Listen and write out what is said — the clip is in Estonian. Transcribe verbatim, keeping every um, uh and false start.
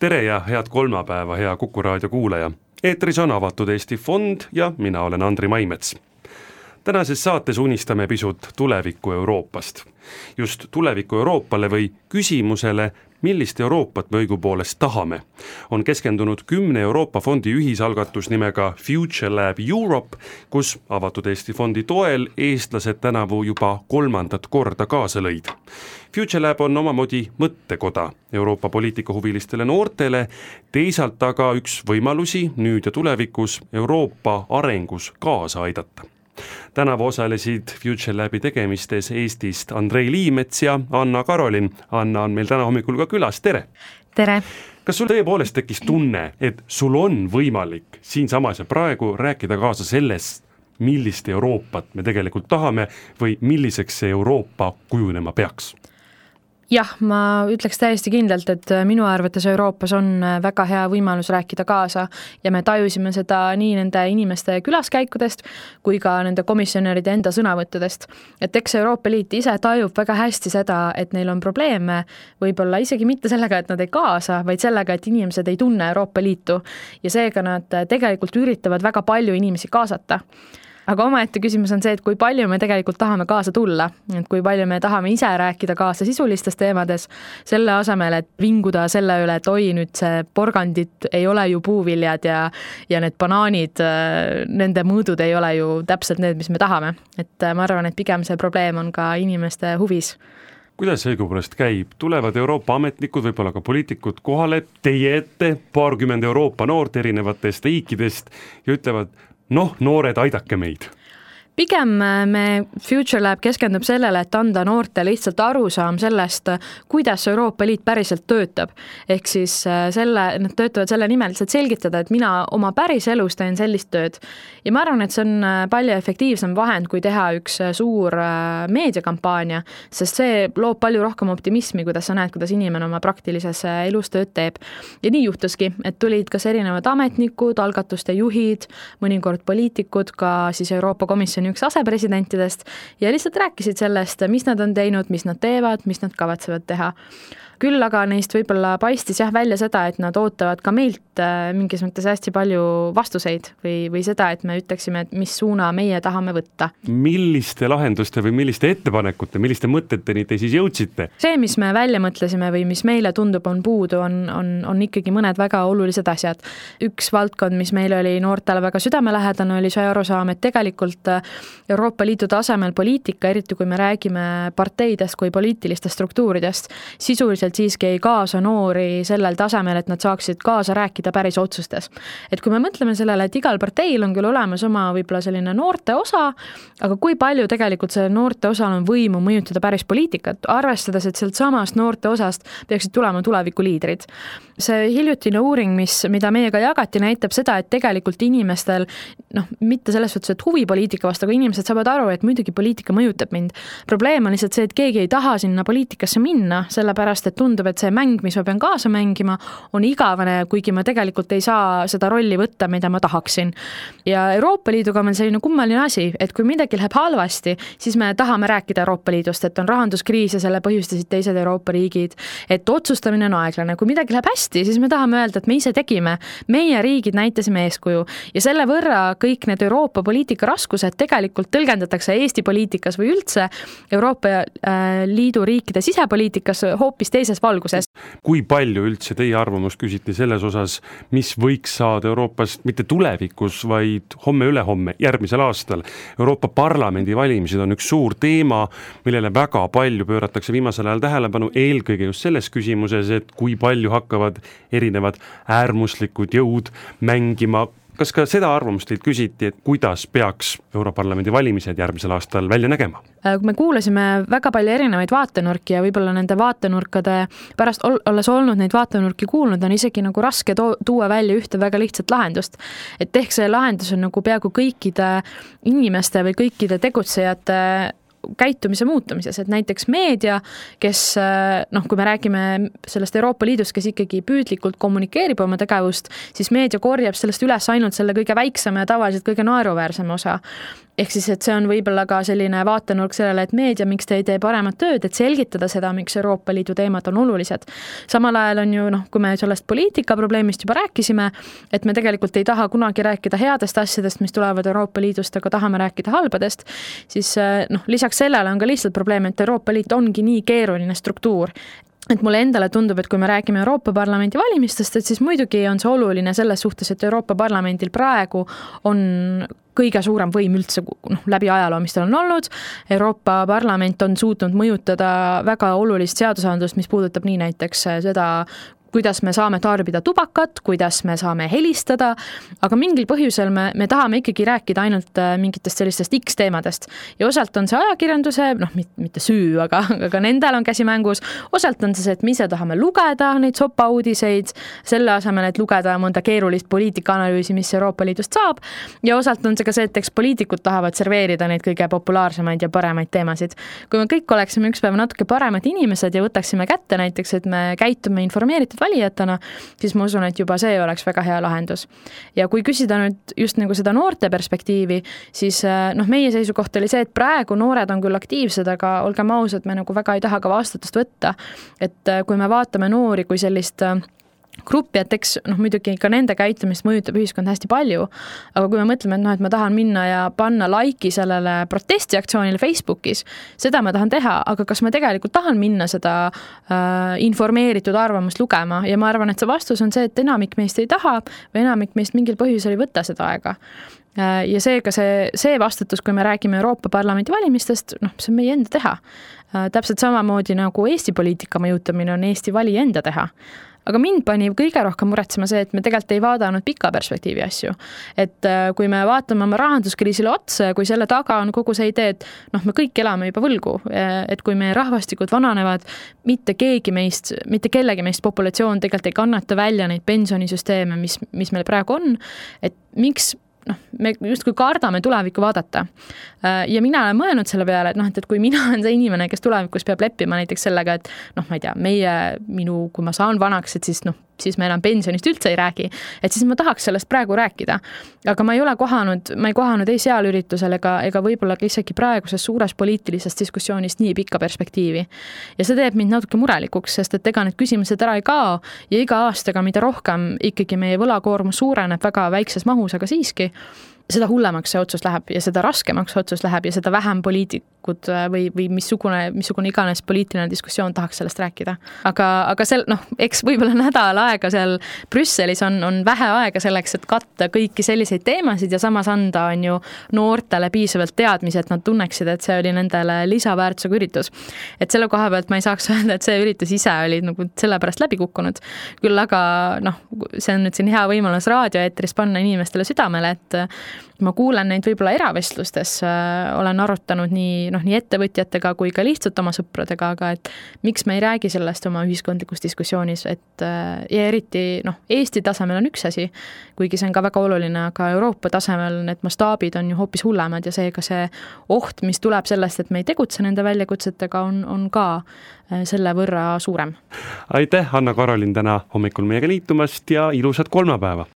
tere ja head kolmapäeva, hea Kuku raadio kuulaja. Eetris on Avatud Eesti Fond ja mina olen Andri Maimets. Tänases saates unistame pisut tuleviku Euroopast. Just tuleviku Euroopale või küsimusele, millist Euroopat me õigupoolest tahame, on keskendunud kümne Euroopa fondi ühisalgatus nimega Future Lab Europe, kus Avatud Eesti Fondi toel eestlased tänavu juba kolmandat korda kaasa lõid. Future Lab on omamoodi mõttekoda Euroopa poliitikahuvilistele noortele, teisalt aga üks võimalusi nüüd ja tulevikus Euroopa arengus kaasa aidata. Tänavu osalesid Future Labi tegemistes Eestist Andrei Liimets ja Anna Karolin. Anna on meil täna hommikul ka külas, tere! Tere! Kas sul tõepoolest tekkis tunne, et sul on võimalik siinsamas ja praegu rääkida kaasa sellest, millist Euroopat me tegelikult tahame või milliseks see Euroopa kujunema peaks? Jah, ma ütleks täiesti kindlalt, et minu arvates Euroopas on väga hea võimalus rääkida kaasa ja me tajusime seda nii nende inimeste külaskäikudest kui ka nende komisjonäride enda sõnavõttudest. Et eks Euroopa Liit ise tajub väga hästi seda, et neil on probleeme, võib-olla isegi mitte sellega, et nad ei kaasa, vaid sellega, et inimesed ei tunne Euroopa Liitu ja seega nad tegelikult üritavad väga palju inimesi kaasata. Aga omaette küsimus on see, et kui palju me tegelikult tahame kaasa tulla, et kui palju me tahame ise rääkida kaasa sisulistes teemades, selle asemel, et vinguda selle üle, et oi, nüüd see porgandit ei ole ju puuviljad ja, ja need banaanid, nende mõõdud ei ole ju täpselt need, mis me tahame. Et ma arvan, et pigem see probleem on ka inimeste huvis. Kuidas see õigupoolest käib? Tulevad Euroopa ametnikud, võib-olla ka poliitikud kohale teie ette, paarkümmend Euroopa noort erinevatest riikidest ja ütlevad, noh, noored, aidake meid. Pigem me Future Lab keskendub sellele, et anda noorte lihtsalt arusaam sellest, kuidas Euroopa Liit päriselt töötab. Ehk siis selle, nad töötavad selle nimel lihtsalt selgitada, et mina oma päris elus teen sellist tööd. Ja ma arvan, et see on palju efektiivsem vahend, kui teha üks suur meediakampaania, sest see loob palju rohkem optimismi, kuidas sa näed, kuidas inimene oma praktilises elus tööd teeb. Ja nii juhtuski, et tulid kas erinevad ametnikud, algatuste juhid, mõnikord poliitikud, ka siis Euroopa Komisjoni üks asepresidentidest ja lihtsalt rääkisid sellest, mis nad on teinud, mis nad teevad, mis nad kavatsevad teha. Küll aga neist võib-olla paistis jah välja seda, et nad ootavad ka meilt mingis mõttes hästi palju vastuseid või, või seda, et me ütleksime, et mis suuna meie tahame võtta. Milliste lahenduste või milliste ettepanekute, milliste mõteteni te siis jõudsite? See, mis me välja mõtlesime või mis meile tundub on puudu, on, on, on ikkagi mõned väga olulised asjad. Üks valdkond, mis meil oli noortele väga südamelähedane, oli see arusaam, et tegelikult Euroopa Liidu tasemel poliitika, eriti kui me räägime parteidest kui poliitilistest struktuuridest, sisuliselt siiski ei kaasa noori sellel tasemel, et nad saaksid kaasa rääkida päris otsustes. Et kui me mõtleme sellele, et igal parteil on küll olemas oma võib-olla selline noorte osa, aga kui palju tegelikult see noorte osal on võimu mõjutada päris poliitikat, arvestades, et sealt samast noorte osast peaksid tulema tuleviku liidrid. See hiljutine uuring, mis, mida meiega jagati, näitab seda, et tegelikult inimestel, noh, mitte selles suhtes, et huvi poliitika vastu, aga inimesed saavad aru, et muidugi poliitika mõjutab mind. Probleem on lihtsalt see, et keegi ei taha sinna poliitikasse minna, sellepärast, et tundub, et see mäng, mis ma pean kaasa mängima, on igavene, kuigi ma tegelikult ei saa seda rolli võtta, mida ma tahaksin. Ja Euroopa Liiduga on selline kummaline asi, et kui midagi läheb halvasti, siis me tahame rääkida Euroopa Liidust, et on rahanduskriis ja selle põhjustasid teised Euroopa riigid, et otsustamine on aeglane. Kui midagi läheb hästi, siis me tahame öelda, et me ise tegime, meie riigid näitasime eeskuju ja selle võrra kõik need Euroopa poliitika raskused tegelikult tõlgendatakse Eesti poliitikas või üldse Euroopa Liidu riikide sisepoliitikas hoopis teises valguses. Kui palju üldse teie arvamust küsiti selles osas, mis võiks saada Euroopast mitte tulevikus, vaid homme-ülehomme, järgmisel aastal? Euroopa Parlamendi valimised on üks suur teema, millele väga palju pööratakse viimasel ajal tähelepanu, eelkõige just selles küsimuses, et kui palju hakkavad erinevad äärmuslikud jõud mängima. Kas ka seda arvamust teilt küsiti, et kuidas peaks Europarlamendi valimised järgmisel aastal välja nägema? Kui me kuulasime väga palju erinevaid vaatenurki ja võib-olla nende vaatenurkade pärast olles olnud neid vaatenurki kuulnud, on isegi nagu raske tuua välja ühte väga lihtsat lahendust. Et ehk see lahendus on nagu peaaegu kõikide inimeste või kõikide tegutsejate käitumise muutumises, et näiteks meedia, kes, noh, kui me räägime sellest Euroopa Liidust, kes ikkagi püüdlikult kommunikeerib oma tegevust, siis meedia korjab sellest üles ainult selle kõige väiksema ja tavaliselt kõige naeruväärsema osa. ehk siis, et see on võib-olla ka selline vaatenurk sellele, et meedia, miks te ei tee paremat tööd, et selgitada seda, miks Euroopa Liidu teemad on olulised. Samal ajal on ju, noh, kui me sellest poliitika probleemist juba rääkisime, et me tegelikult ei taha kunagi rääkida headest asjadest, mis tulevad Euroopa Liidust, aga tahame rääkida halbadest, siis noh, lisaks sellele on ka lihtsalt probleem, et Euroopa Liit ongi nii keeruline struktuur, et mulle endale tundub, et kui me räägime Euroopa Parlamendi valimistest, et siis muidugi on see oluline selles suhtes, et Euroopa Parlamendil praegu on kõige suurem võim üldse noh, läbi ajaloo, mis tal on olnud. Euroopa Parlament on suutnud mõjutada väga olulist seadusandlust, mis puudutab nii näiteks seda, kuidas me saame tarbida tubakat, kuidas me saame helistada, aga mingil põhjusel me, me tahame ikkagi rääkida ainult mingitest sellistest X teemadest. Ja osalt on see ajakirjanduse, noh, mitte süü, aga, aga nendel on käsi mängus. Osalt on see, et me ise tahame lugeda neid sopa uudiseid, selle asemel, et lugeda mõnda keerulist poliitikaanalüüsi, mis Euroopa Liidust saab. Ja osalt on see ka see, et eks poliitikud tahavad serveerida neid kõige populaarsemaid ja paremaid teemasid. Kui me kõik oleksime üks päev natuke paremad inimesed ja võtaksime kätte näiteks, et me käitume informeeritud valijatena, siis ma usun, et juba see oleks väga hea lahendus. Ja kui küsida nüüd just nagu seda noorte perspektiivi, siis noh, meie seisukoht oli see, et praegu noored on küll aktiivsed, aga olgem ausad, me nagu väga ei taha ka vastutust võtta. Et kui me vaatame noori kui sellist gruppi, et eks noh, muidugi ka nende käitumist mõjutab ühiskond hästi palju, aga kui me mõtleme, et noh, et ma tahan minna ja panna laiki sellele protestiaktsioonile Facebookis, seda ma tahan teha, aga kas ma tegelikult tahan minna seda äh, informeeritud arvamust lugema ja ma arvan, et see vastus on see, et enamik meist ei taha või enamik meist mingil põhjusel ei võta seda aega. Äh, ja seega see, see vastutus, kui me räägime Euroopa Parlamendi valimistest, noh, see on meie enda teha. Äh, täpselt samamoodi nagu Eesti poliitika mõjutamine on Eesti vali enda teha. Aga mind pani kõige rohkem muretsema see, et me tegelikult ei vaadanud pika perspektiivi asju. Et kui me vaatame oma rahanduskriisile otsa ja kui selle taga on kogu see idee, et noh, me kõik elame juba võlgu, et kui meie rahvastikud vananevad, mitte keegi meist, mitte kellegi meist populatsioon tegelikult ei kannata välja neid pensionisüsteeme, mis, mis meil praegu on, et miks noh, me justkui kardame tulevikku vaadata. Ja mina olen mõelnud selle peale, et noh, et kui mina olen see inimene, kes tulevikus peab leppima näiteks sellega, et noh, ma ei tea, meie, minu, kui ma saan vanaks, et siis noh, siis me enam pensionist üldse ei räägi, et siis ma tahaks sellest praegu rääkida. Aga ma ei ole kohanud, ma ei kohanud ei seal üritusel ega, ega võib-olla isegi praeguses suures poliitilises diskussioonis nii pikka perspektiivi. Ja see teeb mind natuke murelikuks, sest et ega need küsimused ära ei kao ja iga aastaga, mida rohkem ikkagi meie võlakoormus suureneb väga väikses mahus, aga siiski seda hullemaks see otsus läheb ja seda raskemaks otsus läheb ja seda vähem poliitikud või, või missugune, missugune iganes poliitiline diskussioon tahaks sellest rääkida. Aga, aga sel, noh, eks võib-olla nädal aega seal Brüsselis on, on vähe aega selleks, et katta kõiki selliseid teemasid ja samas anda on ju noortele piisavalt teadmisi, et nad tunneksid, et see oli nendele lisaväärtusega üritus. Et selle koha pealt ma ei saaks öelda, et see üritus ise oli nagu selle pärast läbi kukkunud. Küll aga noh, see on nüüd siin hea võimalus raadioeetris panna inimestele südamele, et ma kuulen neid võib-olla eravestlustes, olen arutanud nii, noh, nii ettevõtjatega kui ka lihtsalt oma sõpradega, aga et miks me ei räägi sellest oma ühiskondlikus diskussioonis, et ja eriti noh, Eesti tasemel on üks asi, kuigi see on ka väga oluline, aga Euroopa tasemel need mastaabid on ju hoopis hullemad ja seega see oht, mis tuleb sellest, et me ei tegutse nende väljakutsetega, on, on ka selle võrra suurem. Aitäh, Anna-Karolin, täna hommikul meiega liitumast ja ilusat kolmapäeva!